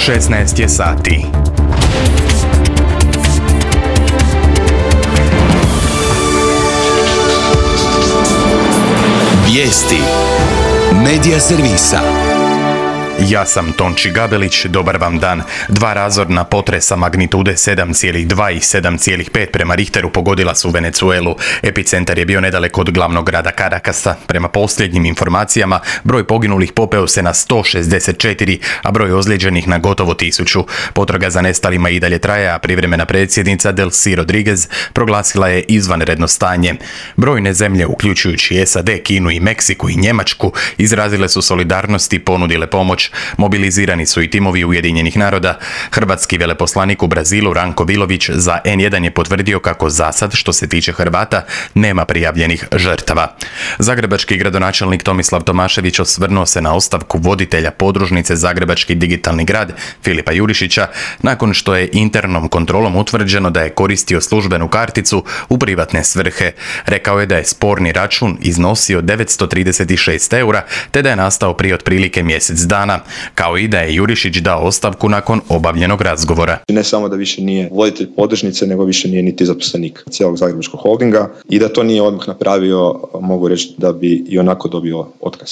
16 je sati. Vijesti Medija servisa. Ja sam Tonči Gabelić, dobar vam dan. 2 razorna potresa magnitude 7,2 i 7,5 prema Richteru pogodila su Venezuelu. Epicentar je bio nedaleko od glavnog grada Caracasa. Prema posljednjim informacijama, broj poginulih popeo se na 164, a broj ozlijeđenih na gotovo 1000. Potraga za nestalima i dalje traje, a privremena predsjednica Delcy Rodriguez proglasila je izvanredno stanje. Brojne zemlje, uključujući SAD, Kinu i Meksiku i Njemačku, izrazile su solidarnost i ponudile pomoć. Mobilizirani su i timovi Ujedinjenih naroda. Hrvatski veleposlanik u Brazilu Ranko Vilović za N1 je potvrdio kako zasad, što se tiče Hrvata, nema prijavljenih žrtava. Zagrebački gradonačelnik Tomislav Tomašević osvrnuo se na ostavku voditelja podružnice Zagrebački digitalni grad Filipa Jurišića nakon što je internom kontrolom utvrđeno da je koristio službenu karticu u privatne svrhe. Rekao je da je sporni račun iznosio 936 eura te da je nastao prije otprilike mjesec dana, kao i da je Jurišić dao ostavku nakon obavljenog razgovora. Ne samo da više nije voditelj podružnice, nego više nije niti zaposlenik cijelog Zagrebačkog holdinga i da to nije odmah napravio, mogu reći da bi i onako dobio otkaz.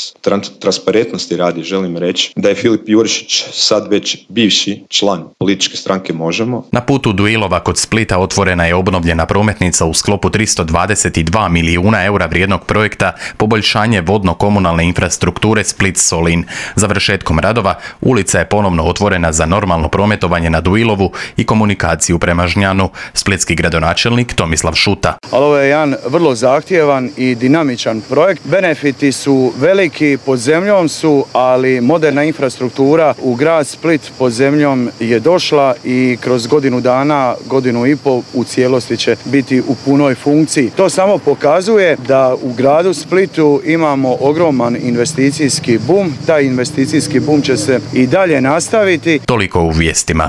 Transparentnosti radi želim reći da je Filip Jurišić sad već bivši član političke stranke Možemo. Na putu do Ilova kod Splita otvorena je obnovljena prometnica u sklopu 322 milijuna eura vrijednog projekta poboljšanje vodno-komunalne infrastrukture Split-Solin. Završetkom radova ulica je ponovno otvorena za normalno prometovanje na Duilovu i komunikaciju prema Žnjanu. Splitski gradonačelnik Tomislav Šuta. Ali ovo je jedan vrlo zahtjevan i dinamičan projekt. Benefiti su veliki, pod zemljom su, ali moderna infrastruktura u grad Split pod zemljom je došla i kroz godinu dana, godinu i pol u cijelosti će biti u punoj funkciji. To samo pokazuje da u gradu Splitu imamo ogroman investicijski bum. Taj investicijski bum će se i dalje nastaviti. Toliko u vijestima.